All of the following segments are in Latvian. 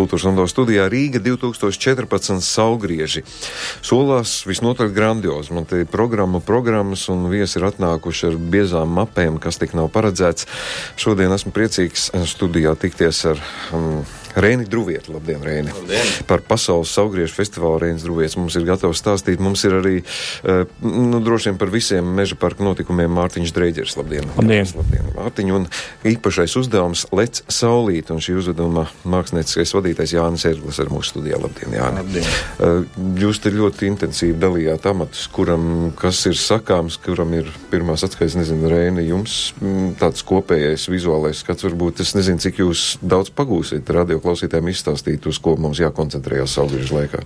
Kultūras un studijā Rīga 2014 saulgrieži. Solās visnotaļ grandiozi. Man te programmas un viesi ir atnākuši ar biezām mapēm, kas tik nav paredzēts. Šodien esmu priecīgs studijā tikties ar Reini Druvietu. Labdien, Reini! Labdien. Par pasaules saulgriežu festivālu Reinis Druvietis mums ir gatavs stāstīt. Mums ir arī, droši vien par visiem meža parka notikumiem Mārtiņš Dreiģers. Labdien! Labdien! Mārtiņ, un īpašais uzdevums Lec saulīt, un šī uzdevuma mākslinieckais vadītājs Jānis Ērglis ir mūsu studijā. Labdien, Jāni! Labdien. Jūs te ļoti intensīvi dalījāt amatus, kas ir sakāms, kuram ir pirmās atskaits, nezinu, Reini, jums tāds kopējais vizuālais skats, varbūt es nezinu, cik jūs daudz pagūsiet radioklausītājiem izstāstīt, uz ko mums jākoncentrējās saulgriežu laikā.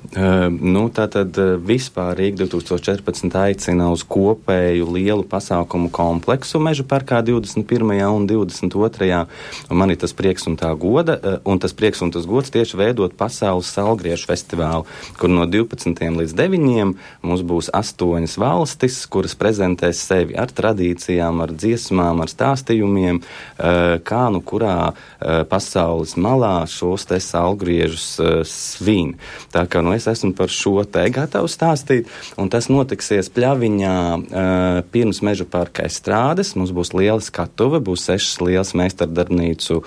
Tātad vispār Rīga 2014 aicina uz kopēju lielu pasākumu kompleksu meža parkā 21. un 22. Un man ir tas prieks un tā goda, un tas prieks un tas gods tieši veidot pasaules saulgriežu festivālu, kur no 12. līdz 9. mums būs 8 valstis, kuras prezentēs sevi ar tradīcijām, ar dziesmām, ar stāstījumiem, kā nu kurā pasaules malā šos te saulgriežus svin. Tā kā es esmu par šo te gatavs stāstīt, un tas notiksies Pļaviņā pirms meža parka estrādes. Mums būs liela skatuve, būs 6 lielas meistardarbnīcu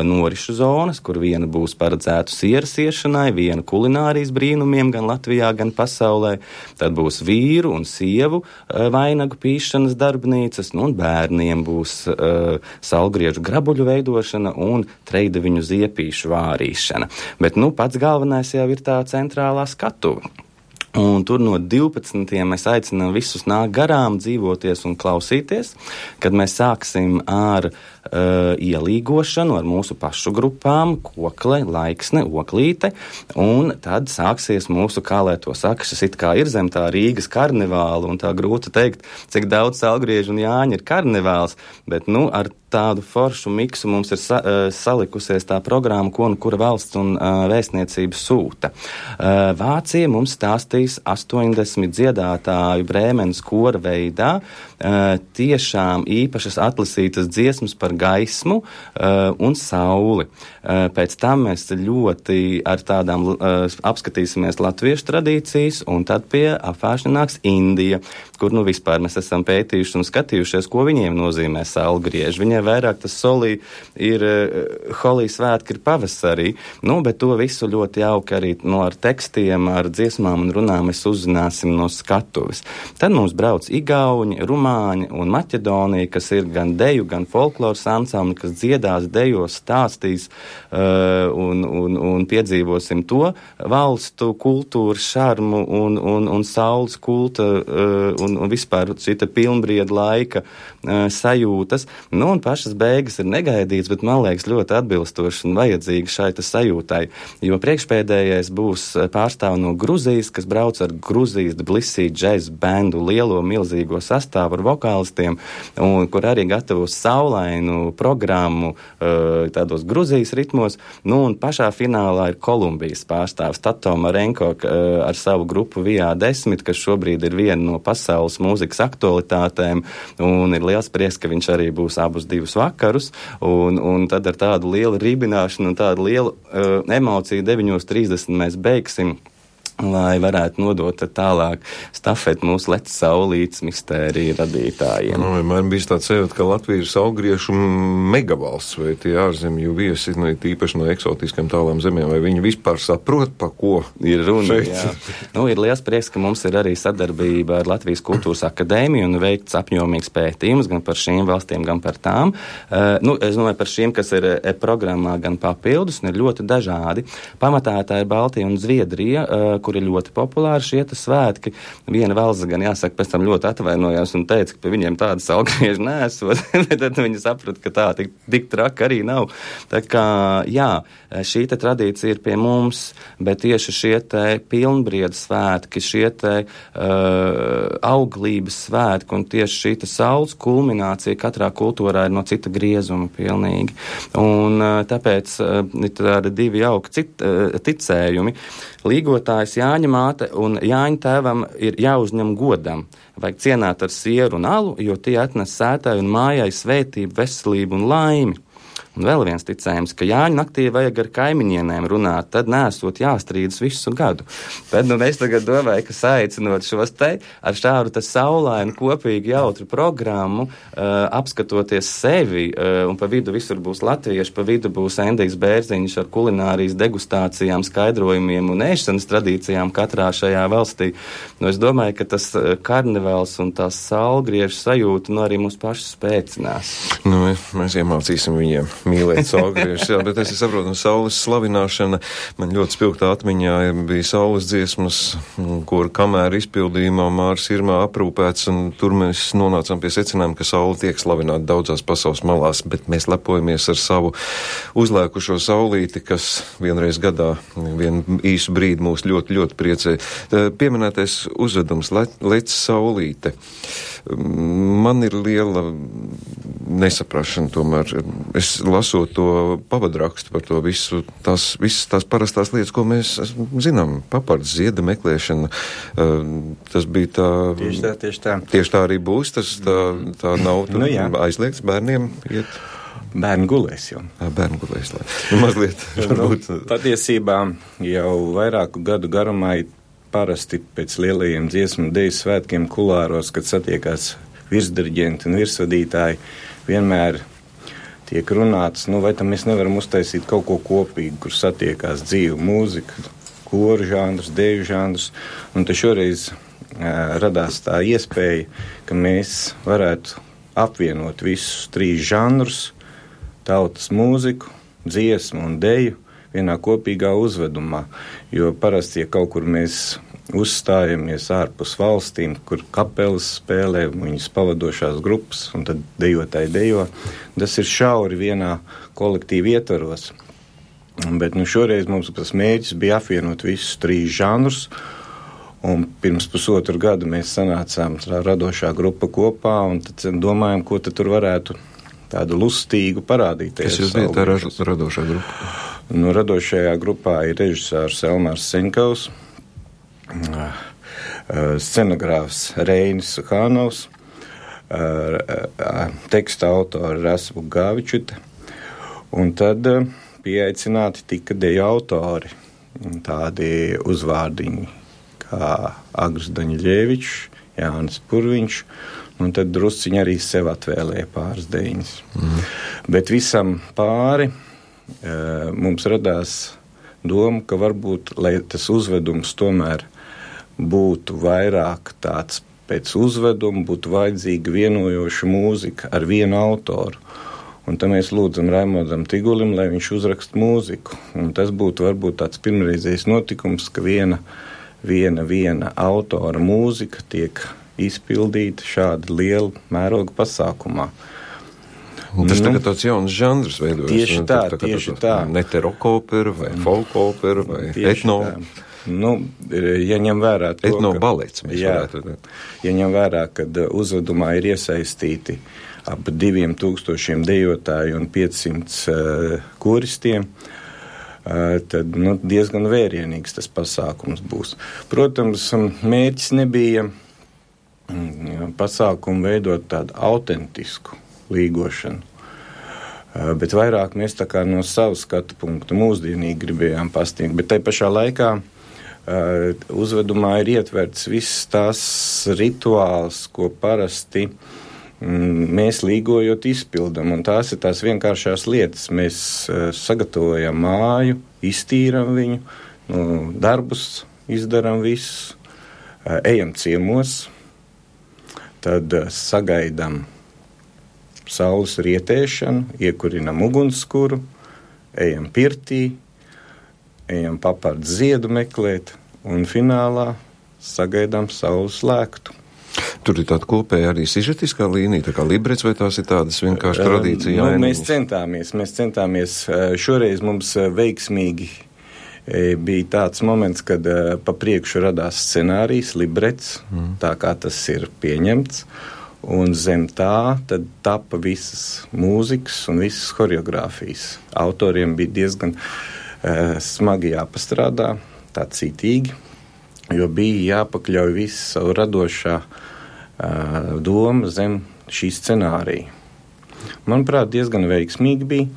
norišu zonas, kur viena būs paredzēta sieras iešanai, viena kulinārijas brīnumiem gan Latvijā, gan pasaulē. Tad būs vīru un sievu vainagu pīšanas darbnīcas, un bērniem būs saulgriežu grabuļu veidošana un treideviņu ziepīšu vārīšana. Bet, pats galvenais jau ir tā centrālā skatuve. Un tur no 12. mēs aicinām visus nākt garām, dzīvoties un klausīties, kad mēs sāksim ar ielīgošanu ar mūsu pašu grupām, kokle, laiksne, oklīte, un tad sāksies mūsu, kā lai to saka, šis it kā ir zem tā Rīgas karnevāla, un tā grūti teikt, cik daudz saulgriežu un Jāņa ir karnevāls, bet, ar tādu foršu miksu mums ir salikusies tā programma, ko un kura valsts un vēstniecība sūta. Vācija mums stāstīs 80 dziedātāju Brēmenes kora veidā, tiešām īpašas atlasītas dziesmas par gaismu un sauli. Pēc tam mēs ļoti ar tādām apskatīsimies latviešu tradīcijas, un tad pie apvēršana nāks Indija, kur vispār mēs esam pētījuši un skatījušies, ko viņiem nozīmē saulgrieži. Viņiem vairāk tas solī ir holī svētki ir pavasarī, bet to visu ļoti jauki arī ar tekstiem, ar dziesmām un runām mēs uzzināsim no skatuves. Tad mums brauc Igauņi, Rumāņi un Maķedonija, kas ir gan deju, gan folkloras ansambli, kas dziedās, dejos, stāstīs un piedzīvosim to valstu kultūru, šarmu un saules kulta un vispār šita pilnbrieda laika sajūtas. Un pašas beigas ir negaidīts, bet man liekas ļoti atbilstoši un vajadzīgi šai sajūtai, jo priekšpēdējais būs pārstāv no Gruzijas, kas brauc ar Gruzijas Tbilisī džez bendu, lielo milzīgo sastāvu ar vokālistiem, un kur arī gatavos saulainu programmu tādos Gruzijas ritmos, un pašā finālā ir Kolumbijas pārstāvs Tato Marenko ar savu grupu VA10, kas šobrīd ir viena no pasaules mūzikas aktualitātēm, un ir liels prieks, ka viņš arī būs abus 2 vakarus, un tad ar tādu lielu ribināšanu un tādu lielu emociju 9:30 mēs beigsim, lai varētu nodot tālāk stafeti mūsu Lec saulītes mistēriju radītājiem. Man bija tāds sajūta, ka Latvija ir saulgriežu megavalsts, vai tie ārzemju viesi, tīpaši no eksotiskiem tālām zemēm, vai viņi vispār saprot, pa ko ir runa. Ir liels prieks, ka mums ir arī sadarbība ar Latvijas kultūras akadēmiju un veikts apjomīgs pētījums gan par šīm valstīm, gan par tām. Es domāju par šīm, kas ir programmā, gan papildus, un ir ļoti dažādi. Pamatā tā ir Baltija un Zviedrija, kur ir ļoti populāri šie svētki. Viena valsts gan jāsaka, pēc tam ļoti atvainojās un teica, ka pie viņiem tāda saulgrieža nesot, bet tad viņi saprata, ka tā tik traka arī nav. Tā kā, šī tradīcija ir pie mums, bet tieši šie pilnbrieda svētki, šie auglības svētki un tieši šī saules kulminācija katrā kultūrā ir no cita griezuma pilnīgi. Un tāpēc ir tādi 2 jauki ticējumi. Līgotājs Jāņa māte un Jāņa tēvam ir jāuzņem godam. Vajag cienāt ar sieru un alu, jo tie atnes sētai un mājai svētību, veselību un laimi. Un vēl viens ticējums, ka Jāņu naktī vajag ar kaimiņienēm runāt, tad nesot jāstrīdas visu gadu. Tad es tagad domāju, ka saicinot šos te ar šādu te saulainu kopīgi jautru programmu, apskatoties sevi, un pa vidu visur būs latvieši, pa vidu būs Endijs Bērziņš ar kulinārijas degustācijām, skaidrojumiem un ēšanas tradīcijām katrā šajā valstī. Es domāju, ka tas karnevāls un tās saulgriežu sajūta arī mūs pašus spēcinās. Mēs iemācīsim viņiem mīlēt saulgriežus, jā, bet es saprotu, saules slavināšana man ļoti spilgtā atmiņā bija saules dziesmas, kur kamēr izpildījumā Māris Irmā aprūpēts, un tur mēs nonācām pie secinājuma, ka saule tiek slavināta daudzās pasaules malās, bet mēs lepojamies ar savu uzlēkušo saulīti, kas vienreiz gadā, vienu īsu brīdi mūs ļoti, ļoti priecē. Pieminētais uzvedums Lec saulīte. Man ir liela nesaprašana tomēr. Es lasot to pavadrakstu par to visu, visas tās parastās lietas, ko mēs zinām, papards, zieda meklēšana, tas bija tā... Tieši tā. Tieši tā arī būs, tā nav aizliegts bērniem iet. Bērni gulēs jau. Bērni gulēs, lai. Mazliet, varbūt. Patiesībā jau vairāku gadu garumā parasti pēc lielajiem dziesmu deju svētkiem kulāros, kad satiekās virsdiriģenti un virsvadītāji, vienmēr tiek runāts, vai tam mēs nevaram uztaisīt kaut ko kopīgu, kur satiekās dzīvu mūzika, koru žanrus, deju žanrus, un te šoreiz radās tā iespēja, ka mēs varētu apvienot visus 3 žanrus, tautas mūziku, dziesmu un deju, vienā kopīgā uzvedumā, jo parasti, ja kaut kur mēs uzstājamies ārpus valstīm, kur kapelas spēlē, viņas pavadošās grupas, un tad dejotāji dejo, tas ir šauri vienā kolektīvi ietvaros. Bet šoreiz mums tas mērķis bija apvienot visus 3 žanrus, un pirms pusotru gadu mēs sanācām radošā grupa kopā, un tad domājam, ko tad tur varētu tādu lustīgu parādīt. Kas jūs bijat tā radošā grupa? Radošajā grupā ir režisārs Elmārs Seņkaus, scenogrāfs Reinis Suhānovs, teksta autori Rasmu Gāvičuta, un tad pieaicināti tika deju autori, tādi uzvārdiņi kā Agris Daņļevičs, Jānis Purviņš, un tad drusciņi arī sev atvēlēja pāris dejiņas. Bet visam pāri mums radās doma, ka varbūt, lai tas uzvedums tomēr būtu vairāk tāds pēc uzveduma, būtu vajadzīga vienojoša mūzika ar vienu autoru. Un tad mēs lūdzam Raimondam Tigulim, lai viņš uzraksta mūziku. Un tas būtu varbūt tāds pirmreizējs notikums, ka viena autora mūzika tiek izpildīta šāda liela mēroga pasākumā. Un tas tagad tāds jauns žanrs veidojas. Tieši tā. Neterokopera vai folkopera vai etno. Ja ņem vērā to, etnobalets mēs varētu. Ja ņem vērā, kad uzvedumā ir iesaistīti ap 2000 dejotāju un 500 koristiem, tad diezgan vērienīgs tas pasākums būs. Protams, mērķis nebija pasākumu veidot tādu autentisku līgošanu, bet vairāk mēs tā kā no savu skatu punktu mūsdienīgi gribējām pasniegt, bet tai pašā laikā uzvedumā ir ietverts viss tās rituāls, ko parasti mēs līgojot izpildam, un tās ir tās vienkāršās lietas. Mēs sagatavojam māju, iztīram viņu, darbus izdaram visus, ejam ciemos, tad sagaidam saules rietēšanu, iekurinam ugunskura, ejam pirtī, ejam papardu ziedu meklēt, un finālā sagaidām saules lēktu. Tur ir tāda kopēja arī sižetiskā līnija, tā kā librets, vai tās ir tādas vienkārši tradīcija? Mēs centāmies. Šoreiz mums veiksmīgi bija tāds moments, kad pa priekšu radās scenārijs, librets, tā kā tas ir pieņemts, un zem tā tad tapa visas mūzikas un visas horeogrāfijas. Autoriem bija diezgan smagi jāpastrādā, tā cītīgi, jo bija jāpakļauj visu savu radošā doma zem šī scenārija. Manuprāt, diezgan veiksmīgi bija.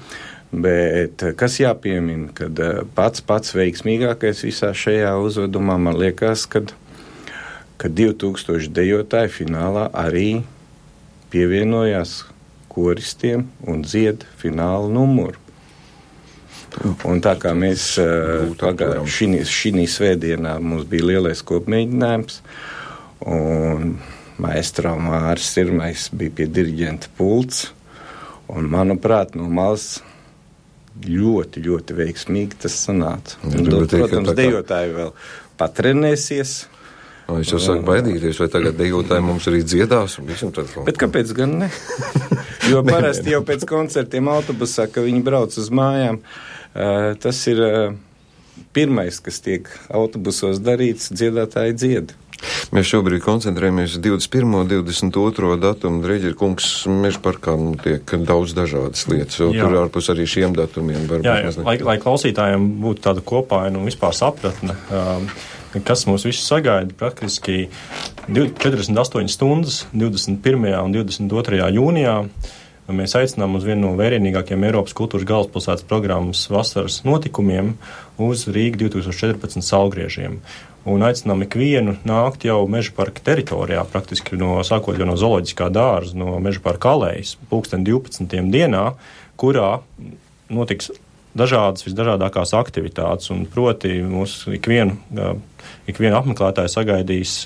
Bet kas jāpiemina, kad pats veiksmīgākais visā šajā uzvedumā man liekas, kad 2000 dejotāji finālā arī pievienojās koristiem un dzied fināla numuru. Un tā kā mēs šī svētdienā mums bija lielais kopmēģinājums, un maestro Māris Sirmais bija pie diriģenta pults, un manuprāt, no malas ļoti, ļoti veiksmīgi tas sanāca. Protams, dejotāji vēl patrenēsies. Es jau sāku baidīties, vai tagad dejotāji mums arī dziedās. Bet kāpēc gan ne? Jo parasti jau pēc koncertiem autobusā, ka viņi brauc uz mājām, tas ir pirmais, kas tiek autobusos darīts, dziedātāji dzied. Mēs šobrīd koncentrējamies 21. un 22. datumu. Dreģer kungs, Meža parkā tiek daudz dažādas lietas, jo tur ārpus arī šiem datumiem varbūt. Lai klausītājiem būtu tāda kopaina un vispār sapratne, kas mūs visus sagaida, praktiski 48 stundas 21. un 22. jūnijā. Mēs aicinām uz vienu no vērienīgākiem Eiropas kultūras galvaspilsētas programmas vasaras notikumiem uz Rīga 2014 saulgriežiem. Un aicinām ikvienu nākt jau Meža parka teritorijā, praktiski sākot jau no zooloģiskā dārza, no Meža parka alejas, 12. dienā, kurā notiks visdažādākās aktivitātes, un proti mūs ikvienu apmeklētāju sagaidīs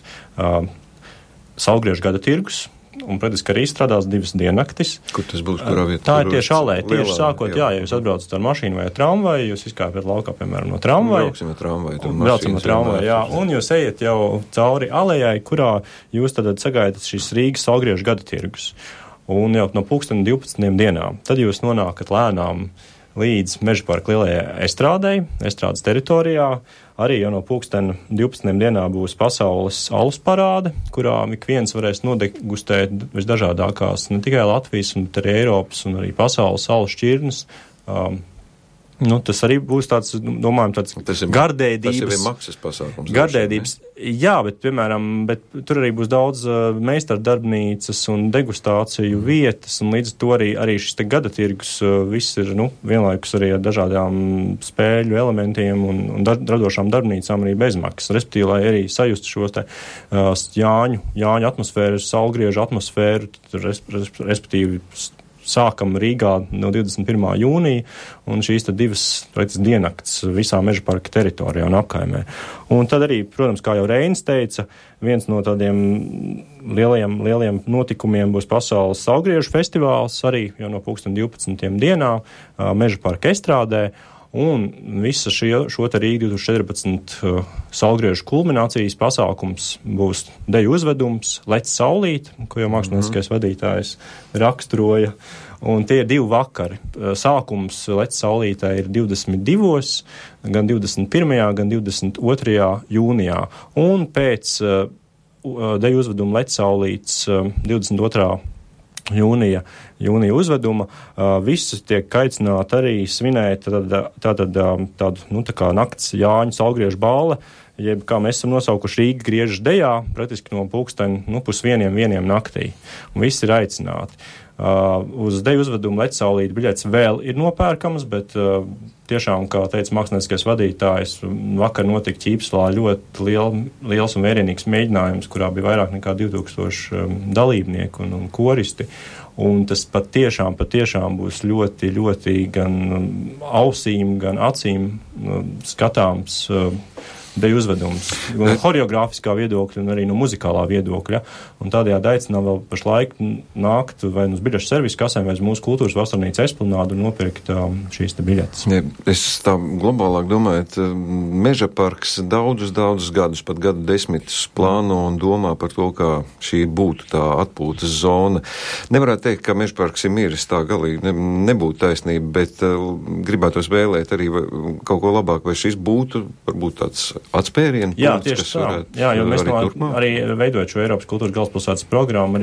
saulgriežu gada tirgus, un, praktiski, arī strādās 2 diennaktis. Kur tas būs, kurā vietā? Tā ir tieši alēja, tieši sākot, ja jūs atbraucat ar mašīnu vai ar tramvaju, jūs izkāpjat laukā, piemēram, no tramvaju. Braucam ar tramvaju, jā, un jūs ejat jau cauri alējai, kurā jūs tad sagaidat šīs Rīgas saulgriežu gada tirgus. Un jau no 12. dienām, tad jūs nonākat lēnām līdz Meža parka lielajai estrādes teritorijā. Arī jau no 12. dienā būs pasaules alus parāde, kurā ik viens varēs nodegustēt visdažādākās ne tikai Latvijas, bet arī Eiropas un arī pasaules alus šķirnes. Tas arī būs tāds, domājam, tāds gardēdības. Tas ir maksas pasākums. Gardēdības, jā, bet, piemēram, tur arī būs daudz meistardarbnīcas un degustāciju vietas, un līdz to arī šis te gada tirgus viss ir, vienlaikus arī ar dažādām spēļu elementiem un radošām darbnīcām arī bezmaksas. Respektīvi, lai arī sajustu šos te Jāņu atmosfēru, saulgriežu atmosfēru, respektīvi, sākam Rīgā no 21. jūnija, un šīs tad 2 diennakts visā Meža parka teritorijā un apkaimē. Un tad arī, protams, kā jau Reinis teica, viens no tādiem lielajiem notikumiem būs pasaules saulgriežu festivāls, arī jau no 12. dienā Meža parka estrādē. Un visa šo te Rīga 2014 saulgriežu kulminācijas pasākums būs deju uzvedums Lec saulīt, ko jau mākslinieckais vadītājs raksturoja. Un tie ir 2 vakari. Sākums Lec saulītē ir 22. gan 21. gan 22. jūnijā. Un pēc deju uzveduma Lec saulīts 22. jūnija uzveduma, visi tiek aicināti arī svinēt tādu kā nakts Jāņu saulgriežu bāle, jeb kā mēs esam nosaukuši Rīga griežas dejā, praktiski no pusvieniem naktī. Un visi ir aicināti. Uz deju uzvedumu Lec saulīt biļetes vēl ir nopērkamas, bet tiešām, kā teica mākslinieckais vadītājs, vakar notika Ķīpslā ļoti liels un vērienīgs mēģinājums, kurā bija vairāk nekā 2000 dalībnieku un koristi. Un tas patiešām būs ļoti, ļoti gan ausīm, gan acīm skatāms deju uzvedums. No horeogrāfiskā viedokļa un arī no muzikālā viedokļa. Un tādējādi aicinām vēl pašlaik nākt vai uz biļešu servisu kasēm vai uz mūsu kultūras vasarnīcu esplanādu un nopirkt šīs te biļetes. Ja, es tā globālāk domāju, Meža parks daudzus gadus, pat gadu desmitus plāno un domā par to, kā šī būtu tā atpūtas zona. Nevarētu teikt, ka Meža parks ir miris, tā galīgi nebūtu taisnība, bet gribētos vēlēt arī kaut ko labāk, vai šis būtu varbūt tāds atspērienu punkts, kas varētu. Jā, jo mēs arī veidojot šo Eiropas kultūras galvaspilsētas programmu,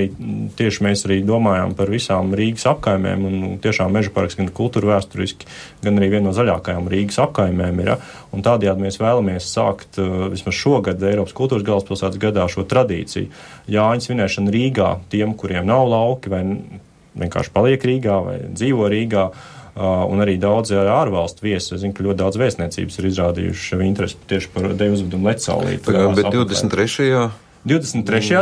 tieši mēs arī domājām par visām Rīgas apkaimēm, un tiešām Meža parks gan kultūra vēsturiski, gan arī viena no zaļākajām Rīgas apkaimēm ir. Un tādējādi mēs vēlamies sākt vismaz šogad Eiropas kultūras galvaspilsētas gadā šo tradīciju. Jāņu svinēšana Rīgā tiem, kuriem nav lauki vai vienkārši paliek Rīgā vai dzīvo Rīgā, un arī daudzi ārvalstu viesi. Es zinu, ka ļoti daudz vēstniecības ir izrādījuši interesi tieši par deju uzvedumu Lecsaulīti. Bet 23. 23.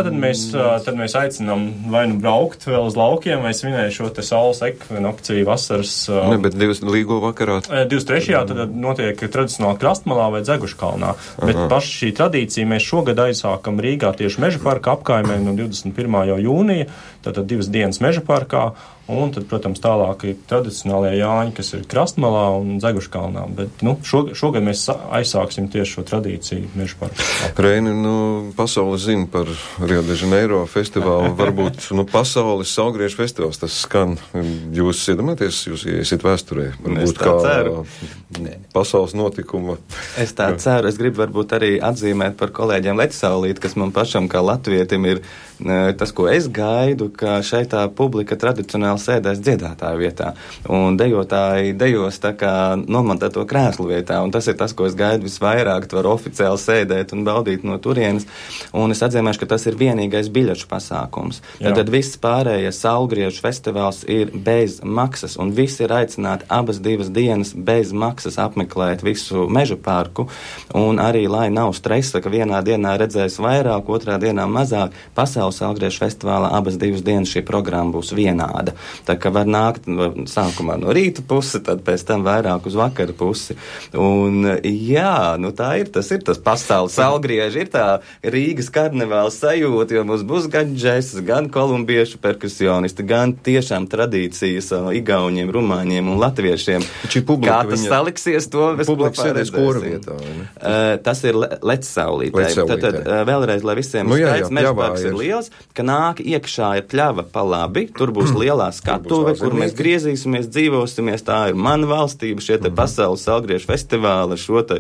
Tad mēs aicinām vai nu braukt vēl uz laukiem, vai svinēt šo te saules ekvinokciju vasaras. Ne, bet līgo vakarā. 23. tad notiek tradicionāli Krastmalā vai Dzeguškalnā. Bet paši šī tradīcija mēs šogad aizsākam Rīgā tieši Meža parka apkaimē no 21. jūnija, tātad 2 dienas Meža parkā. Un tad, protams, tālāk ir tradicionālie Jāņi, kas ir Krastmalā un Dzeguškalnā. Bet, šogad mēs aizsāksim tieši šo tradīciju Meža parkā. Reini, pasaule zina par Rio de Janeiro festivālu. Varbūt, pasaules saulgriežu festivāls, tas skan. Jūs iedomāties, jūs iesiet vēsturē? Varbūt kā ceru. Pasaules notikuma. Es tā ceru. Es gribu varbūt arī atzīmēt par kolēģiem Lecsaulīti, kas man pašam kā latvietim ir tas, ko es gaidu, ka šeit tā publika tradicionāli sēdēs dziedātāju vietā, un dejotāji dejos tā kā nomontēto krēslu vietā, un tas ir tas, ko es gaidu visvairāk, tu var oficiāli sēdēt un baudīt no turienes, un es atzīmēšu, ka tas ir vienīgais biļešu pasākums. Tad viss pārējais saulgriežu festivāls ir bez maksas, un visi ir aicināti abas 2 dienas bez maksas apmeklēt visu Meža parku, un arī, lai nav stresa, ka vienā dienā redzēs vairāk, otrā dienā mazāk, pasaules saulgriežu festivālā abas 2 dienas šī programma būs vienāda. Tā kā var nākt sākumā no rīta pusi, tad pēc tam vairāk uz vakara pusi. Un jā, tā ir, tas ir tas pasaules saulgrieži, ir tā Rīgas karnevāla sajūta, jo mums būs gan džesas, gan kolumbiešu perkusionisti, gan tiešām tradīcijas igauņiem, rumāņiem un latviešiem. Kā tas saliksies, to mēs kopā redzēsim. Tas ir Lecsaulītē. Tad vēlreiz, lai visiem skaidrs, Meža parks ir liels, ka nāk iekšā ir pļava pa labi, tur būs lielā skatuve, kur mēs griezīsimies, dzīvosimies, tā ir mana valstība, šie te pasaules saulgriežu festivāli, šo te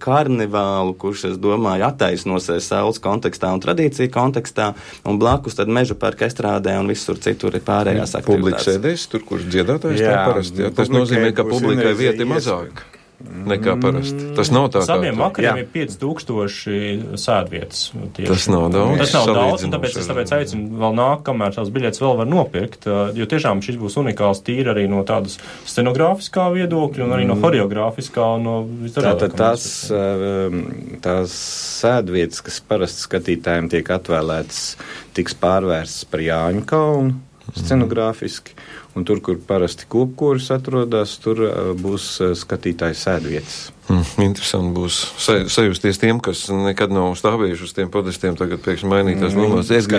karnevālu, kurš, es domāju, attaisnosies saules kontekstā un tradīciju kontekstā, un blakus tad Meža parka estrādē un visur citur ir pārējās aktivitātes. Publika sēdēs tur, kur dziedātājs tā parasti. Tas nozīmē, ka publikai vieta ir mazāk nekā parasti. Tas nav tā kā. Abiem vakariem ir 5000 sēdvietas. Tas nav daudz. Tas nav daudz, un tāpēc es aicinu vēl nāk, kamēr tās biļetes vēl var nopirkt, jo tiešām šis būs unikāls tīri arī no tādas scenogrāfiskā viedokļa un arī no horeogrāfiskā un no Tātad tās sēdvietas, kas parasti skatītājiem tiek atvēlētas, tiks pārvērstas par Jāņu kalnu scenogrāfiski. Un tur, kur parasti kopkoris atrodas, tur būs skatītāju sēdvietas. Interesanti būs sajusties tiem, kas nekad nav stāvējuši uz tiem podestiem, tagad pēkšņi mainītās lomās. Es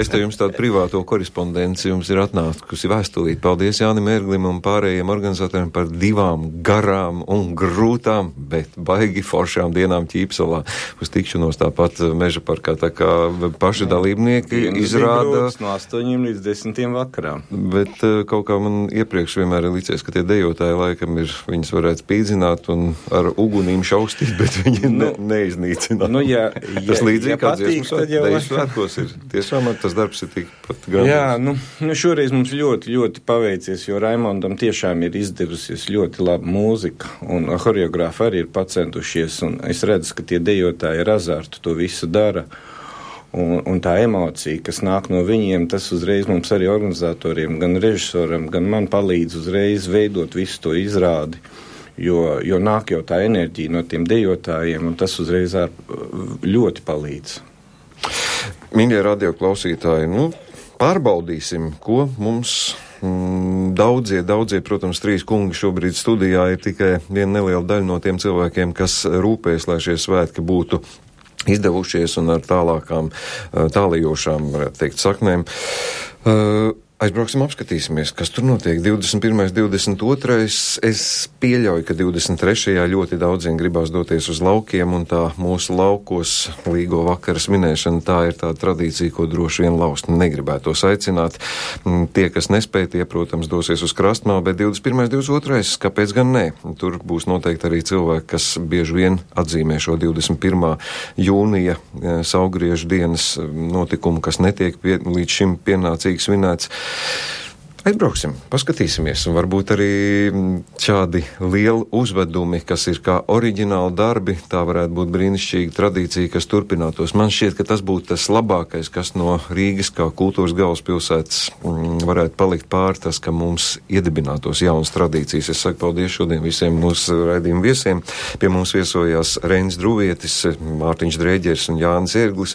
te jums tādu privāto korespondenci jums ir atnākusi vēstulīt. Paldies Jānim Ērglim un pārējiem organizatoriem par 2 garām un grūtām, bet baigi foršām dienām Ķīpsalā. Uz tikšanos tāpat Meža parkā, tā kā paši dalībnieki izrāda no 8 līdz 10 vakarā. Bet kaut kā man iepriekš vienmēr ir licies, ka tie dejotāji laikam ir, viņas varētu spīdzināt un ar ugunīm šaustīt, bet viņi neiznīcināt. Tas līdzīgi kā dziesmu svētkos ir. Tiešām tas darbs ir tikpat gan. Jā, šoreiz mums ļoti, ļoti paveicies, jo Raimondam tiešām ir izdevusies ļoti laba mūzika, un horeogrāfi arī ir pacentušies, un es redzu, ka tie dejotāji ar azartu to visu dara. Un tā emocija, kas nāk no viņiem, tas uzreiz mums arī organizatoriem, gan režisoram, gan man palīdz uzreiz veidot visu to izrādi, jo nāk jau tā enerģija no tiem dejotājiem, un tas uzreiz ļoti palīdz. Mīļie radioklausītāji, pārbaudīsim, ko mums daudzie, protams, 3 kungi šobrīd studijā ir tikai viena neliela daļa no tiem cilvēkiem, kas rūpēs, lai šie svētki būtu izdevušies un ar tālējošām, varētu teikt, saknēm. Aizbrauksim, apskatīsimies, kas tur notiek. 21. 22. Es pieļauju, ka 23. ļoti daudziem gribās doties uz laukiem, un tā mūsu laukos līgo vakaras minēšana, tā ir tā tradīcija, ko droši vien laust negribētos aicināt. Tie, kas nespēj, tie, protams, dosies uz Krastmalu, bet 21. 22. kāpēc gan nē? Tur būs noteikti arī cilvēki, kas bieži vien atzīmē šo 21. jūnija saulgriežu dienas notikumu, kas netiek līdz šim pienācīgi svinēts. Aizbrauksim, paskatīsimies, un varbūt arī šādi lieli uzvedumi, kas ir kā oriģināli darbi, tā varētu būt brīnišķīga tradīcija, kas turpinātos. Man šķiet, ka tas būtu tas labākais, kas no Rīgas kā kultūras galvaspilsētas varētu palikt pāri, tas, ka mums iedibinātos jaunas tradīcijas. Es saku paldies šodien visiem mūsu raidījumu viesiem. Pie mums viesojās Reinis Druvietis, Mārtiņš Drēģers un Jānis Ērglis.